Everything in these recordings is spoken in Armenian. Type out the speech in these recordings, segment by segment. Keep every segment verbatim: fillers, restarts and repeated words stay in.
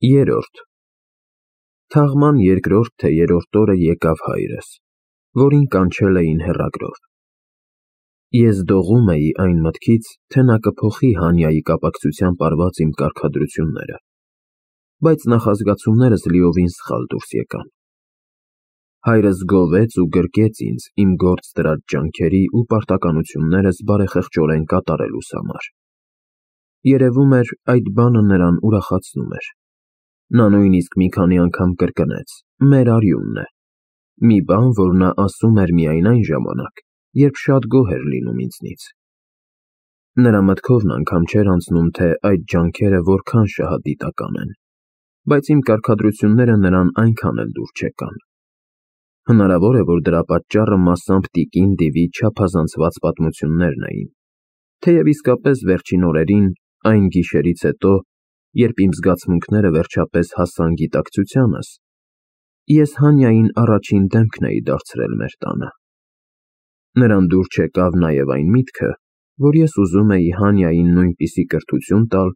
Երրորդ Թաղման երկրորդ թե երրորդ օրը եկավ հայրս, որին կանչել էին հեռագրով։ Ես դողում էի այն մտքից, թե նա կփոխի Հանյայի կապակցությամբ արված իմ կարգադրությունները, բայց նախազգացումներս լիովին սխալ դուրս եկան։ Հայրս գովեց ու գրկեց ինձ իմ գործ դրած ջանքերի ու պարտականություններս բարեխղճորեն կատարելուս համար։ Երևում էր, այդ բանը նրան ուրախացնում էր։ Նա նույնիսկ մի քանի անգամ կրկնեց. «Մեր արյունն է», մի բան, որ նա ասում էր միայն այն ժամանակ, երբ շատ գոհ էր լինում ինձնից։ Նրա մտքովն անգամ չէր անցնում, թե այդ ջանքերը որքան շահադիտական են, բայց իմ կարգադրությունները նրան այնքան էլ դուր չեկան։ Հնարավոր է, որ դրա պատճառը մասամբ տիկին Դիվի չափազանցված պատմություններն էին, թեև իսկապես վերջին օրերին, այն գիշերից հետո, երբ իմ զգացմունքները վերջապես հասան գիտակցությանս, ես Հանյային առաջին դեմքն էի դարձրել մեր տանը։ Նրան դուր չեկավ նաև այն միտքը, որ ես ուզում էի Հանյային նույնպիսի կրթություն տալ,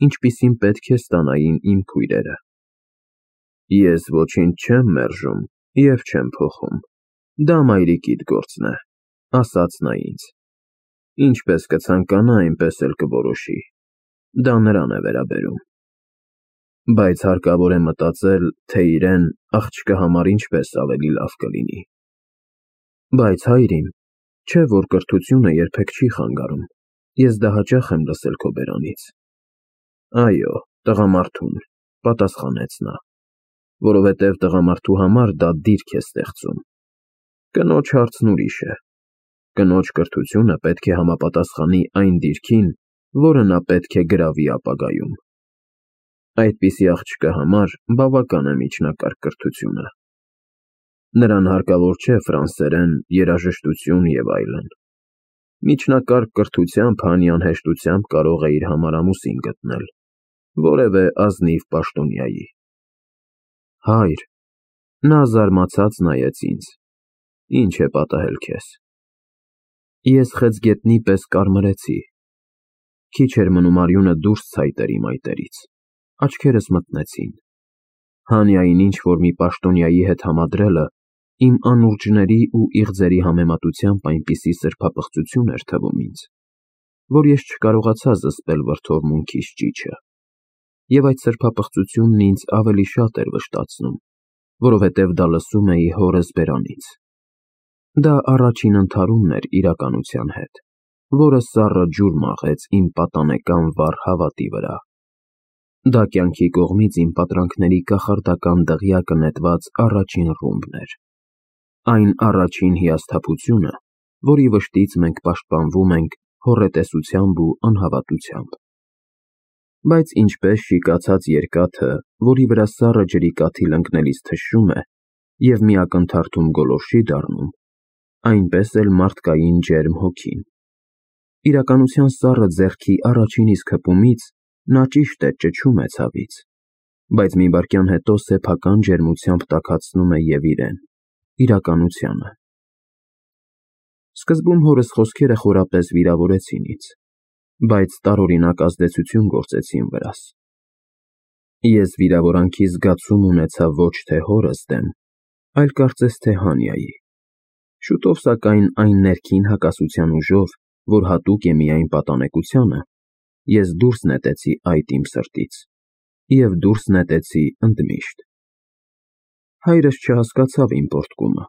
ինչպիսին պետք է ստանային իմ քույրերը։ Ես ոչինչ չեմ մերժում և չեմ փոխում, դա մայրիկիդ գործն է, ասաց նա ինձ։ Ինչպես կցանկանա, այնպես էլ կորոշի, դա նրան է վերաբերում։ Բայց հարկավոր է մտածել, թե իրեն, աղջկա համար ինչպես ավելի լավ կլինի։ Բայց հայր իմ, չէ՞ որ կրթությունը երբեք չի խանգարում, ես դա հաճախ եմ լսել քո բերանից։ Այո, տղամարդուն, պատասխանեց նա, որովհետև տղամարդու համար դա դիրք է ստեղծում։ Կնոջ հարցն ուրիշ է։ Կնոջ կրթությունը պետք է համապատասխանի այն դիրքին, որը նա պետք է գրավի ապագայում։ Այդպիսի աղջկա համար բավական է միջնակարգ կրթությունը։ Նրան հարկավոր չէ ֆրանսերեն, երաժշտություն և այլն։ Միջնակարգ կրթությամբ Հանյան հեշտությամբ կարող է իր համար ամուսին գտնել, որևէ ազնիվ պաշտոնյայի։ Հայր, նա զարմացած նայեց ինձ, ինչ է պատահել քեզ։ Ես խեցգետնի պես կարմրեցի, քիչ էր մնում արյունը դուրս ցայտեր իմ այտերից, աչքերս մթնեցին։ Հանյային ինչ-որ մի պաշտոնյայի հետ համադրելը իմ անուրջների ու իղձերի համեմատությամբ այնպիսի սրբապղծություն էր թվում ինձ, որ ես չկարողացա զսպել վրդովմունքիս ճիչը, և այդ սրբապղծությունն ինձ ավելի շատ էր վշտացնում, որովհետև դա լսում էի հորս բերանից։ Դա առաջին ընդհարումն էր իրականության հետ, որը սառը ջուր մաղեց իմ պատանեկան վառ հավատի վրա։ Դա կյանքի կողմից իմ պատրանքների կախարդական դղյակը նետված առաջին ռումբն էր, այն առաջին հիասթափությունը, որի վշտից մենք պաշտպանվում ենք հոռետեսությամբ ու անհավատությամբ։ Բայց ինչպես շիկացած երկաթը, որի վրա սառը ջրի կաթիլ ընկնելիս թշում է և մի ակնթարթում գոլորշի դառնում, այնպես էլ մարդկային ջերմ հոգին։ Իրականության սառը ձեռքի առաջին իսկ հպումից նա ճիշտ է ճչում է ցավից, բայց մի վայրկյան հետո սեփական ջերմությամբ տաքացնում է և իրեն, իրականությանը։ Սկզբում հորս խոսքերը խորապես վիրավորեցին ինձ, բայց տարօրինակ ազդեցություն գործեցին վրաս։ Ես վիրավորանքի զգացում ունեցա ոչ թե հորս դեմ, այլ կարծես թե Հանյայի։ Շուտով, սակայն, այն ներքին հակասության ուժով, որ հատուկ է միայն պատանեկությանը, ես դուրս նետեցի այդ իմ սրտից և դուրս նետեցի ընդմիշտ։ Հայրս չհասկացավ իմ պոռթկումը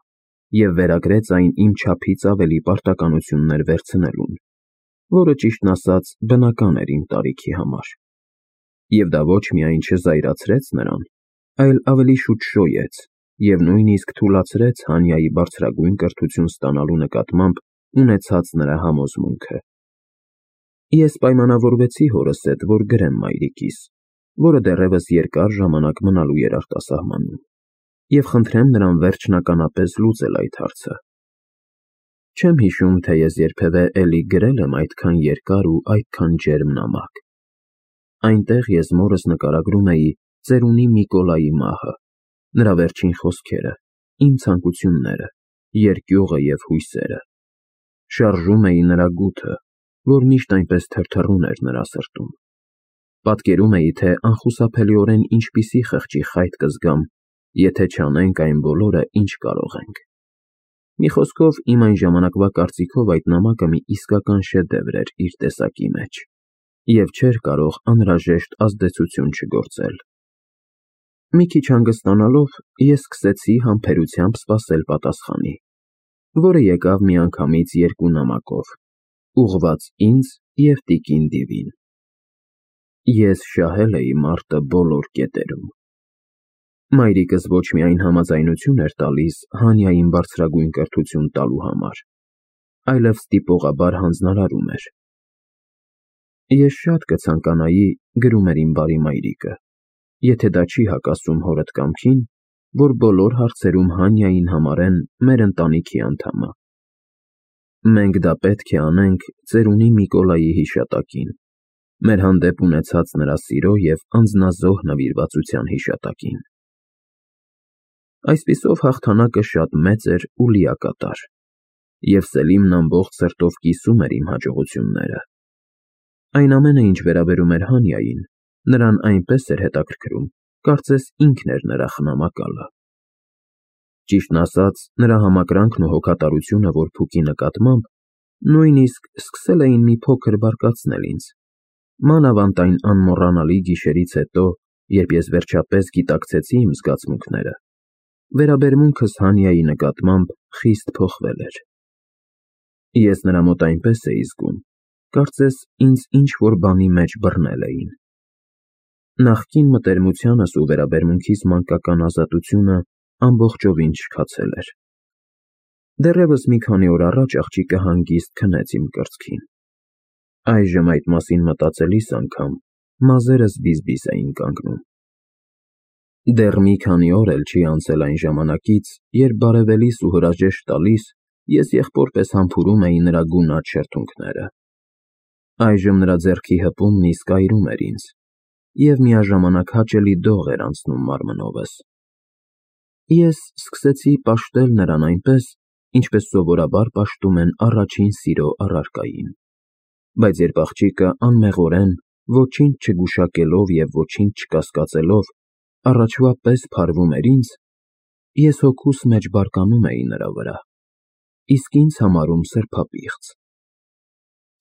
և վերագրեց այն իմ չափից ավելի պարտականություններ վերցնելուն, որը, ճիշտն ասած, բնական էր իմ տարիքի համար։ Եվ դա ոչ միայն չզայրացրեց նրան, այլ ավելի շուտ շոյեց և նույնիսկ թուլացրեց Հանյայի բարձրագույն կրթություն ստանալու նկատմամբ ունեցած նրա համոզմունքը։ Ես պայմանավորվեցի հորս հետ, որ գրեմ մայրիկիս, որը դեռևս երկար ժամանակ մնալու էր արտասահմանում, և խնդրեմ նրան վերջնականապես լուծել այդ հարցը։ Չեմ հիշում, թե ես երբևէ էլի գրել եմ այդքան երկար ու այդքան ջերմ նամակ։ Այնտեղ ես մորս նկարագրում էի ծերունի Միկոլայի մահը, նրա վերջին խոսքերը, իմ ցանկությունները, երկյուղը և հույսերը։ Շարժում էի նրա գութը, որ միշտ այնպես թրթռուն էր նրա սրտում։ Պատկերում էի, թե անխուսափելիորեն ինչպիսի խղճի խայտ կզգամ, եթե չանենք այն բոլորը, ինչ կարող ենք։ Մի խոսքով, իմ այն ժամանակվա կարծիքով այդ նամակը մի իսկական շեդևր էր իր տեսակի մեջ, և չէր կարող անհրաժեշտ ազդեցություն չգործել։ Մի քիչ հանգստանալով, ես սկսեցի համբերությամբ սպասել պատասխանի, որը եկավ միանգամից երկու նամակով, ուղղված ինձ և տիկին Դիվին։ Ես շահել էի մարտը բոլոր կետերում։ Մայրիկս ոչ միայն համաձայնություն էր տալիս Հանյային բարձրագույն կրթություն տալու համար, այլև ստիպողաբար հանձնարարում էր։ Ես շատ կցանկանայի, գրում էր իմ բարի մայրիկը, եթե դա չի հակասում հորդ կամքին, որ բոլոր հարցերում Հանյային համարեն մեր ընտանիքի անդամը։ Մենք դա պետք է անենք ծերունի Միկոլայի հիշատակին, մեր հանդեպ ունեցած նրա սիրո և անձնազոհ նվիրվածության հիշատակին։ Այսպիսով հաղթանակը շատ մեծ էր ու լիակատար, և Սելիմն ամբողջ սրտով կիսում էր իմ հաջողությունները։ Այն ամենը, ինչ վերաբերում էր Հանյային, նրան այնպես էր հետաքրքրում, կարծես ինքն էր նրա խնամակալը։ Ճիշտն ասած, նրա համակրանքն ու հոգատարությունը որփուկի նկատմամբ նույնիսկ սկսել էին մի փոքր բարկացնել ինձ, մանավանդ այն անմոռանալի գիշերից հետո, երբ ես վերջապես գիտակցեցի իմ զգացմունքները, վերաբերմունքս Հանյայի նկատմամբ խիստ փոխվել էր։ Ես նրա մոտ այնպես էի զգում, կարծես ինձ ինչ-որ բանի մեջ բռնել էին։ Նախկին մտերմությանս ու վերաբերմունքիս մանկական ազատությունը ամբողջովին չքացել էր։ Դեռևս մի քանի օր առաջ աղջիկը հանգիստ քնեց իմ կրծքին։ Այժմ այդ մասին մտածելիս անգամ մազերս բիզ-բիզ էին կանգնում։ Դեռ մի քանի օր էլ չի անցել այն ժամանակից, երբ բարևելիս ու հրաժեշտ տալիս, ես եղբորպես համբուրում էի նրա գունատ շրթունքները։ Այժմ նրա ձեռքի հպումն իսկ այրում էր ինձ, և միաժամանակ հաճելի դող էր անցնում մարմնովս։ Ես սկսեցի պաշտել նրան այնպես, ինչպես սովորաբար պաշտում են առաջին սիրո առարկային, բայց երբ աղջիկը անմեղորեն, ոչինչ չգուշակելով և ոչինչ չկասկածելով, առաջվա պես փարվում էր ինձ, ես հոգուս մեջ բարկանում էի նրա վրա, իսկ ինձ համարում սրբապիղծ։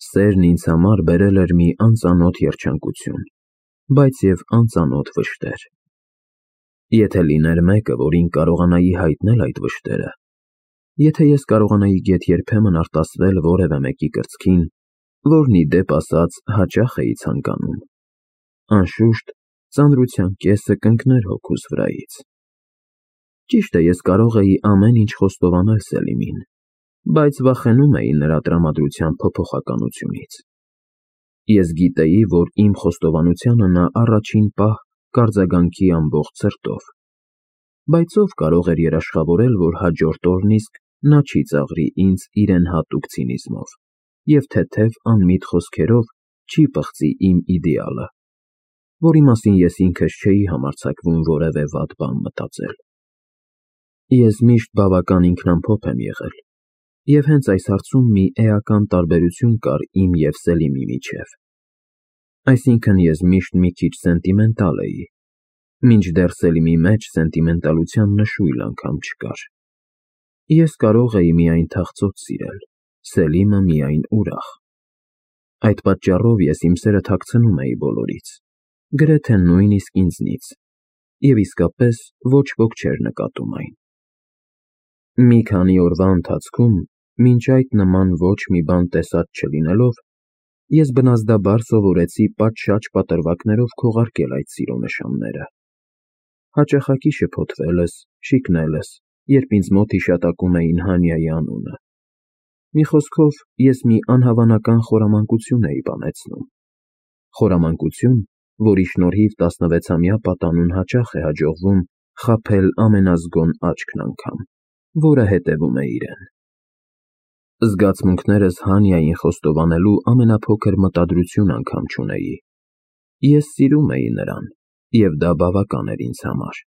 Սերն ինձ համար բերել էր մի անծանոթ երջանկություն, բայց և անծանոթ վշտեր։ Եթե լիներ մեկը, որին կարողանայի հայտնել այդ վշտերը, եթե ես կարողանայի գեթ-երբեմն արտասվել որևէ մեկի կրծքին, որն ի դեպ ասած հաճախ էի ցանկանում, անշուշտ, ծանրության կեսը կընկներ հոգուս վրայից։ Ճիշտ է, ես կարող էի ամեն ինչ խոստովանել Սելիմին, բայց վախենում էի նրա տրամադրության փոփոխականությունից։ Ես գիտեի, որ իմ խոստովանությանը նա առաջին պահ կարձագանքի ամբողջ սրտով, բայց ով կարող էր երաշխավորել, որ հաջորդ օրն իսկ նա չի ծաղրի ինձ իրեն հատուկ ցինիզմով և թեթև անմիտ խոսքերով չի պղծի իմ իդեալը, որի մասին ես ինքս չէի համարձակվում որևէ վատ բան մտածել։ Ես միշտ բավական ինքնամփոփ եմ եղել, և հենց այս հարցում մի էական տարբերություն կար իմ և Սելիմի միջև։ Այսինքն ես միշտ մի քիչ սենտիմենտալ էի, մինչդեռ Սելիմի մեջ սենտիմենտալության նշույլ անգամ չկար։ Ես կարող էի միայն թախծոց սիրել, Սելիմը միայն ուրախ։ Այդ պատճառով ես իմ սերը թաքցնում էի բոլորից, գրեթե նույնիսկ ինձնից, և իսկապես ոչ ոք չէր նկատում այն։ Մի քանի օրվա ընթացքում, մինչ այդ նման ոչ մի բան տեսած չլինելով, ես բնազդաբար սովորեցի պատշաճ պատրվակներով քողարկել այդ սիրո նշանները, հաճախակի շփոթվելս, շիկնելս, երբ ինձ մոտ հիշատակում էին Հանյայի անունը։ Մի խոսքով, ես մի անհավանական խորամանկություն էի բանեցնում, խորամանկություն, որի շնորհիվ տասնվեցամյա պատանուն հաճախ է հաջողվում խաբել ամենազգոն աչքն անգամ, որը հետևում է իրեն։ Զգացմունքներս Հանյային խոստովանելու ամենափոքր մտադրություն անգամ չունեի։ Ես սիրում էի նրան, և դա բավական էր ինձ համար։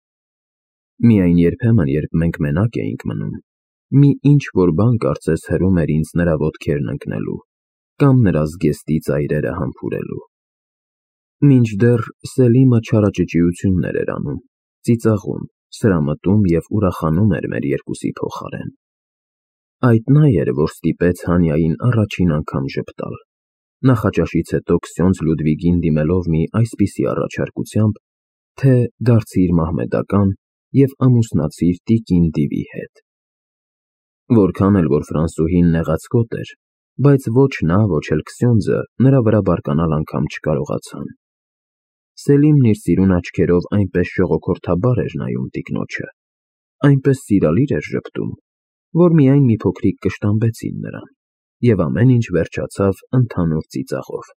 Միայն երբեմն, երբ մենք մենակ էինք մնում, մի ինչ-որ բան կարծես հրում էր ինձ նրա ոտքերն ընկնելու կամ նրա զգեստի ծայրերը համբուրելու։ Մինչդեռ Սելիմը չարաճճիություններ էր անում, ծիծաղում, սրամտում և ուրախանում էր մեր երկուսի փոխարեն։ Այդ նա էր, որ ստիպեց Հանիային առաջին անգամ ժպտալ, նախաճաշից հետո Քսյոնձ Լյուդվիգին դիմելով մի այսպիսի առաջարկությամբ, թե դարձիր մահմեդական և ամուսնացիր տիկին Դիվի հետ։ Որքան էլ որ ֆրանսուհին նեղացկոտ էր, բայց ոչ նա, ոչ էլ Քսյոնձը նրա վրա բարկանալ անգամ չկարողացան։ Սելիմն իր սիրուն աչքերով այնպես ժողոքորթաբար էր նայում տիկնոջը, այնպես սիրալիր էր ժպտում, որ միայն մի փոքրիկ կշտամբեցին նրան, և ամեն ինչ վերջացավ ընդհանուր ծիծաղով։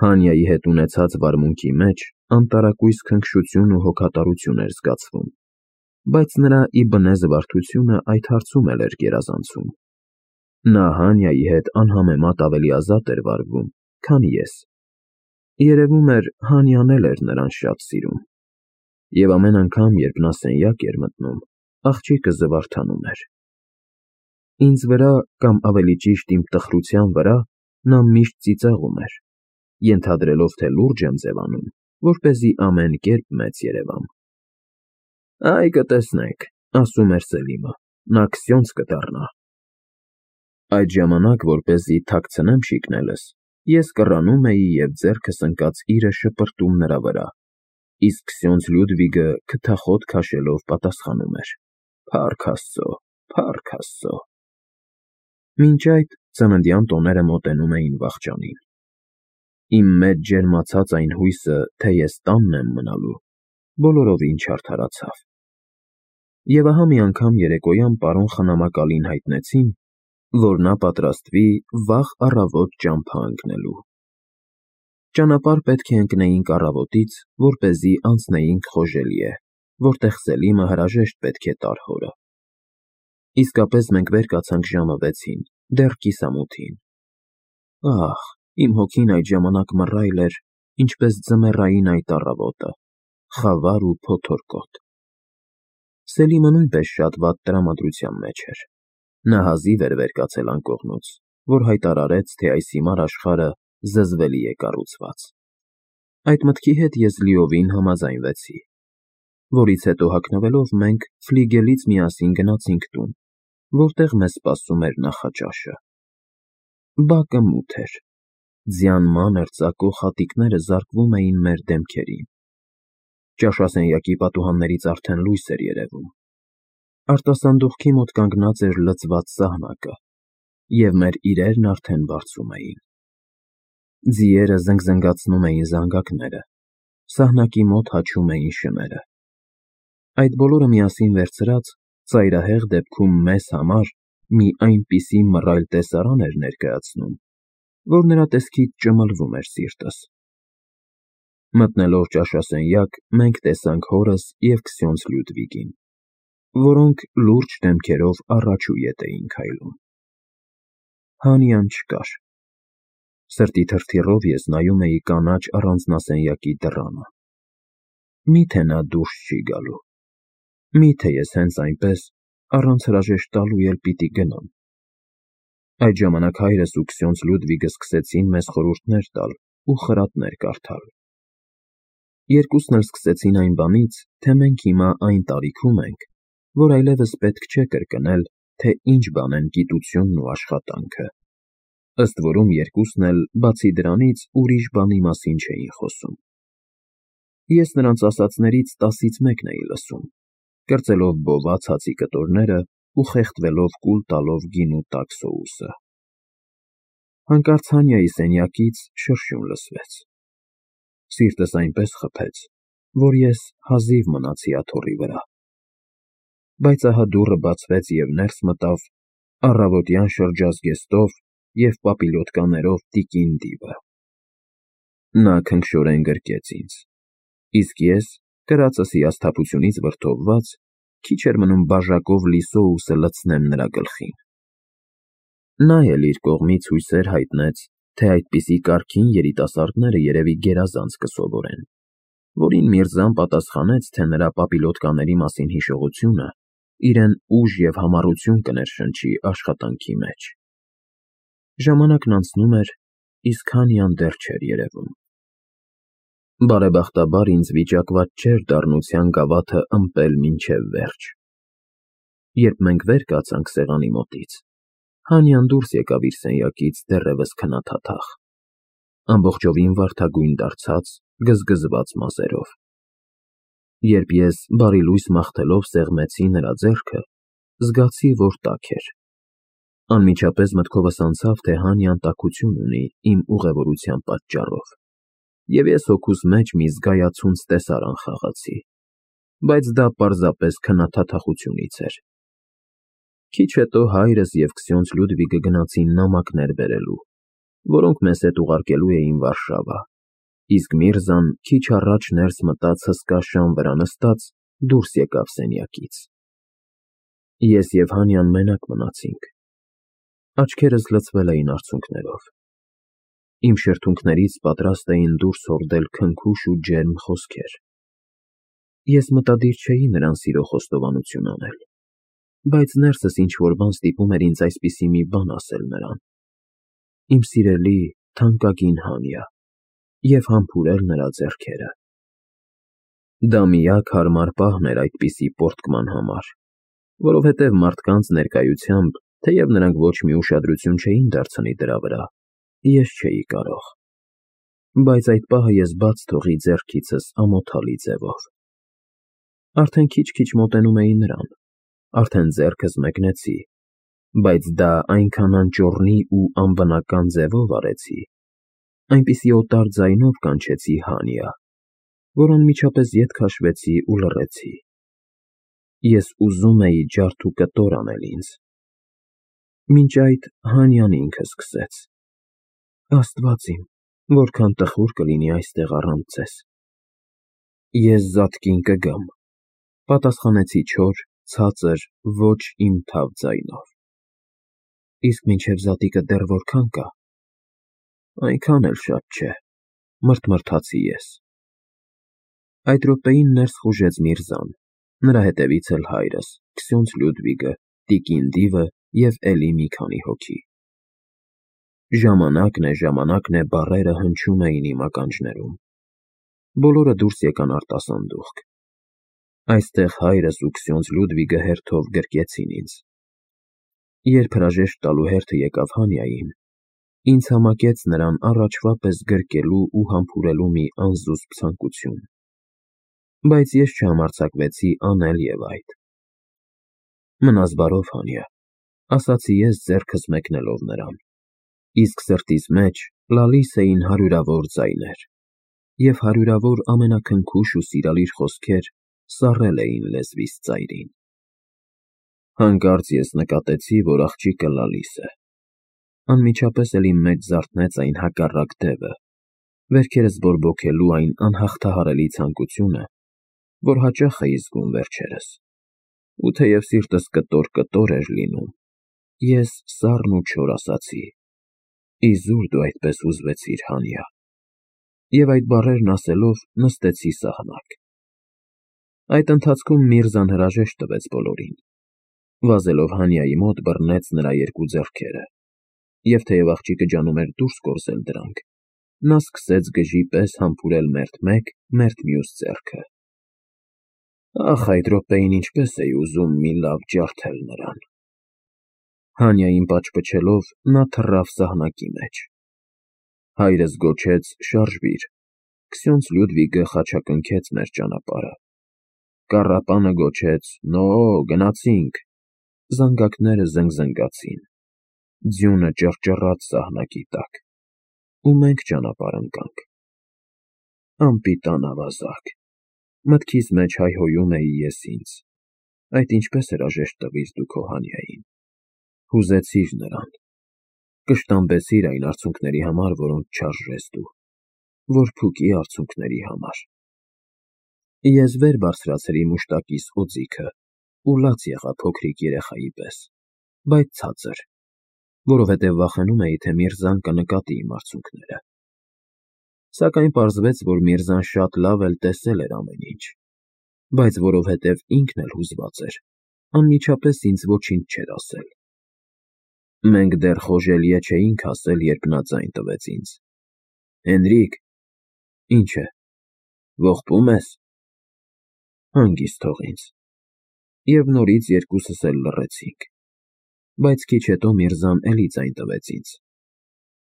Հանիայի հետ ունեցած վարմունքի մեջ անտարակույս քնքշություն ու հոգատարություն էր զգացվում, բայց նրա ի բնե զվարթությունը այդ հարցում էլ էր գերազանցում։ Նա Հանիայի հետ անհամեմատ ավելի ազատ էր վարվում, քան ես։ Երևում էր, Հանիան էլ էր նրան շատ սիրում, և ամեն անգամ, երբ նա սենյակ էր մտնում, աղջիկը զվարթանում էր։ Ինձ վրա, կամ ավելի ճիշտ իմ տխրության վրա, նա միշտ ծիծաղում էր, ենթադրելով, թե լուրջ եմ ձևանում, որպեսզի ամեն կերպ մեծ երևամ։ «Այ կտեսնենք», ասում էր Սելիմը, «նա Քսյոնձ կդառնա»։ Այդ ժամանակ, որպեսզի թաքցնեմ շիկնելս, ես կռանում էի և ձեռքս ընկած իրը շպրտում նրա վրա, իսկ Քսյոնձ Լյուդվիգը քթախոտ քաշելով պատասխանում էր. «Փառք Աստծո, փառք Աստծո»։ Մինչ այդ ծննդյան տոները մոտենում էին վախճանին։ Իմ մեջ ջերմացած այն հույսը, թե ես տանն եմ մնալու, բոլորովին չարդարացավ։ Եվ ահա մի անգամ երեկոյան պարոն խնամակալին հայտնեցին, որ նա պատրաստվի վաղ առավոտ ճամփա ընկնելու։ Ճանապարհ պետք է ընկնեինք առավոտից, որպեսզի անցնեինք Խոժելիե, որտեղ Սելիմը հրաժեշտ պետք է տար հորը։ Իսկապես մենք վեր կացանք ժամը վեցին, դեռ կիսամութին։ Ահ, իմ հոգին այդ ժամանակ մռայլ էր, ինչպես ձմեռային այդ առավոտը, խավար ու փոթորկոտ։ Սելիմը նույնպես շատ վատ տրամադրության մեջ էր։ Նա հազիվ էր վեր կացել անկողնուց, որ հայտարարեց, թե այս հիմար աշխարհը զզվելի է կառուցված։ Այդ մտքի հետ ես լիովին համաձայնվեցի, որից հետո հագնվելով մենք ֆլիգելից միասին գնացինք տուն, որտեղ մեզ սպասում էր նախաճաշը։ Բակը մութ էր, ձյան մանր ծակող հատիկները զարկվում էին մեր դեմքերին։ Ճաշասենյակի պատուհաններից արդեն լույս էր երևում։ Արտասանդուղքի մոտ կանգնած էր լցված սահնակը, և մեր իրերն արդեն բարձում էին։ Ձիերը զնգզնգացնում էին զանգակները, սահնակի մոտ հաչում էին շները։ Այդ բոլորը միասին վերցրած, ծայրահեղ դեպքում մեզ համար մի այնպիսի մռայլ տեսարան էր ներկայացնում, որ նրա տեսքից ճմլվում էր սիրտս։ Մտնելով ճաշասենյակ, մենք տեսանք հորս և Քսյոնձ Լյուդվիգին, որոնք լուրջ դեմքերով առաջ ու ետ էին քայլում։ Հանիան չկար։ Սրտի թրթիռով ես նայում էի կանաչ առանձնասենյակի դռանը։ Մի՞թե նա դուրս չի գալու։ Մի՞թե ես հենց այնպես, առանց հրաժեշտ տալու էլ պիտի գնամ։ Այդ ժամանակ հայրս ու Քսյոնձ Լյուդվիգը սկսեցին մեզ խորհուրդներ տալ ու խրատներ կարդալ։ Երկուսն էլ սկսեցին այն բանից, թե մենք հիմա այն տարիքում ենք, որ այլևս պետք չէ կրկնել, թե ինչ բան են գիտությունն ու աշխատանքը։ Ըստ որում երկուսն էլ, բացի դրանից, ուրիշ բանի մասին չէին խոսում։ Ես նրանց ասածներից տասից մեկն էի լսում, կրծելով բոված հացի կտորները ու խեղդվելով կուլ տալով գինու տաք սոուսը։ Հանկարծ Հանիայի սենյակից շրշյուն լսվեց։ Սիրտս այնպես խփեց, որ ես հազիվ մնացի աթոռի վրա։ Բայց ահա դուռը բացվեց և ներս մտավ առավոտյան շրջազգեստով և պապիլյոտկաներով տիկին Դիվը։ Նա քնքշորեն գրկեց ինձ, իսկ ես, կրածս հիասթափությունից վրդովված, քիչ էր մնում բաժակով լի սոուսը լցնեմ նրա գլխին։ Նա էլ իր կողմից հույսեր հայտնեց, թե այդպիսի կարգին երիտասարդները երևի գերազանց կսովորեն, որին Միրզան պատասխանեց, թե նրա պապիլյոտկաների մասին հիշողությունը իրեն ուժ և համառություն կներշնչի աշխատանքի մեջ։ Ժամանակն անցնում էր, իսկ Հանիան դեռ չէր երևում։ Բարեբախտաբար ինձ վիճակված չէր դառնության գավաթը ըմպել մինչև վերջ։ Երբ մենք վեր կացանք սեղանի մոտից, Հանյան դուրս եկավ իր սենյակից դեռևս քնաթաթախ, ամբողջովին վարդագույն դարձած, գզգզված մազերով։ Երբ ես բարի լույս մաղթելով սեղմեցի նրա ձեռքը, զգացի, որ տաք էր։ Անմիջապես մտքովս անցավ, թե Հանյան տաքություն ունի իմ ուղևորության պատճառով, և ես հոգուս մեջ մի զգայացունց տեսարան խաղացի, բայց դա պարզապես քնաթաթախությունից էր։ Քիչ հետո հայրս և քսյոնց Լյուդվիգը գնացին նամակներ բերելու, որոնք մեզ հետ ուղարկելու էին Վարշավա, իսկ Միրզան քիչ առաջ ներս մտած հսկա շան վրա նստած դուրս եկավ սենյակից։ Ես և Հանյան մենակ մնացինք։ Աչքերս լցվել էին արցունքներով։ Իմ շրթունքներից պատրաստ էին դուրս հորդել քնքուշ ու ջերմ խոսքեր։ Ես մտադիր չէի նրան սիրո խոստովանություն անել, բայց ներսս ինչ-որ բան ստիպում էր ինձ այսպիսի մի բան ասել նրան, իմ սիրելի, թանկագին Հանյա, և համբուրել նրա ձեռքերը։ Դա միակ հարմար պահն էր այդպիսի պոռթկման համար, որովհետև մարդկանց ներկայությամբ, թեև նրանք ոչ մի ուշադրություն չէին դարձնի դրա վրա, ես չէի կարող։ Բայց այդ պահը ես բաց թողի ձեռքիցս ամոթալի ձևով։ Արդեն քիչ-քիչ մոտենում էի նրան, արդեն ձեռքս մեկնեցի, բայց դա այնքան անճոռնի ու անբնական ձևով արեցի, այնպիսի օտար ձայնով կանչեցի Հանյա, որ անմիջապես ետ քաշվեցի ու լռեցի։ Ես ուզում էի ջարդ ու կտոր անել ինձ։ Մինչ այդ Հանյան ինքը սկսեց. «Աստված իմ, որքան տխուր կլինի այստեղ առանց ձեզ»։ Ես զատկին կգամ, պատասխանեցի չոր, ցածր, ոչ իմ թավ ձայնով։ Իսկ մինչև զատիկը դեռ որքա՞ն կա։ Այնքան էլ շատ չէ, մռթմռթացի ես։ Այդ րոպեին ներս խուժեց Միրզան, նրա հետևից էլ հայրս, քսյոնց Լյուդվիգը, տիկին Դիվը և էլի մի քանի հոգի։ Ժամանակն է, ժամանակն է բառերը հնչում էին իմ ականջներում։ Բոլորը դուրս եկան արտասանդուղք։ Այստեղ հայրս ու քսյոնց Լյուդվիգը հերթով գրկեցին ինձ։ Երբ հրաժեշտ տալու հերթը եկավ Հանյային, ինձ համակեց նրան առաջվա պես գրկելու ու համբուրելու մի անզուսպ ցանկություն, բայց ես չհամարձակվեցի անել և այդ։ Մնաս բարով, Հանյա, ասացի ես ձեռքս մեկնելով նրան, իսկ սրտիս մեջ լալիս էին հարյուրավոր ձայներ, և հարյուրավոր ամենաքնքուշ ու սիրալիր խոսքեր սառել էին լեզվիս ծայրին։ Հանկարծ ես նկատեցի, որ աղջիկը լալիս է։ Անմիջապես էլ իմ մեջ զարթնեց այն հակառակ դևը, վերքերս բորբոքելու այն անհաղթահարելի ցանկությունը, որ հաճախ էի զգում վերջերս, ու թեև սիրտս կտոր֊կտոր էր լինում, ես սառն ու չոր ասացի. «Իզուր դու այդպես ուզվեցիր, Հանյա»։ Եվ այդ բառերն ասելով նստեցի սահնակ։ Այդ ընթացքում Միրզան հրաժեշտ տվեց բոլորին, վազելով Հանյայի մոտ բռնեց նրա երկու ձեռքերը, և թեև աղջիկը ջանում էր դուրս կորզել դրանք, նա սկսեց գժի պես համբուրել մերթ մեկ, մերթ մյուս ձեռքը։ Ախ, այդ րոպեին ինչպես էի ուզում մի լավ ջարդել նրան։ Հանյային պաչպչելով նա թռավ սահնակի մեջ։ Հայրս գոչեց. «Շարժվիր»։ Քսյոնց Լյուդվիգը խաչակնքեց մեր ճանապարհը։ Կառապանը գոչեց. «Նո, գնացինք»։ Զանգակները զնգզնգացին։ Ձյունը ճռճռաց սահնակի տակ, ու մենք ճանապարհ ընկանք։ Անպիտան ավազակ, մտքիս մեջ հայհոյում էի ես ինձ. այդ ինչպես հրաժեշտ տվիր դու քո Հանյային։ Հուզեցիր նրան, կշտամբեցիր այն արցունքների համար, որոնց չարժես դու, որ փուկի արցունքների համար։ Ես վեր բարձրացրի մուշտակիս օձիքը ու լաց եղա փոքրիկ երեխայի պես, բայց ցածր, որովհետև վախենում էի, թե Միրզան կնկատի իմ արցունքները։ Սակայն պարզվեց, որ Միրզան շատ լավ էլ տեսել էր ամեն ինչ, բայց որովհետև ինքն էլ հուզված էր, անմիջապես ինձ ոչինչ չէր ասել։ Մենք դեռ խոժելիե չէինք հասել, երբ նա ձայն տվեց ինձ. «Հենրիկ»։ Ինչ է։ Ողբո՞ւմ ես։ Հանգիստ թող ինձ։ Եվ նորից երկուսս էլ լռեցինք, բայց քիչ հետո Միրզան էլի ձայն տվեց ինձ.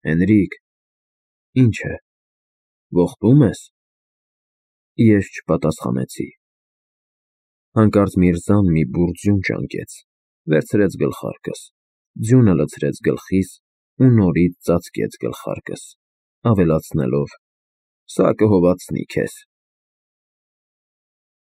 Հենրիկ, ի՞նչ է, ողբո՞ւմ ես։ Ես չպատասխանեցի։ Հանկարծ Միրզան մի բուռ ձյուն ճանկեց, վերցրեց գլխարկս, ձյունը լցրեց գլխիս ու նորից ծածկեց գլխարկս, ավելացնելով. Սա կհովացնի քեզ։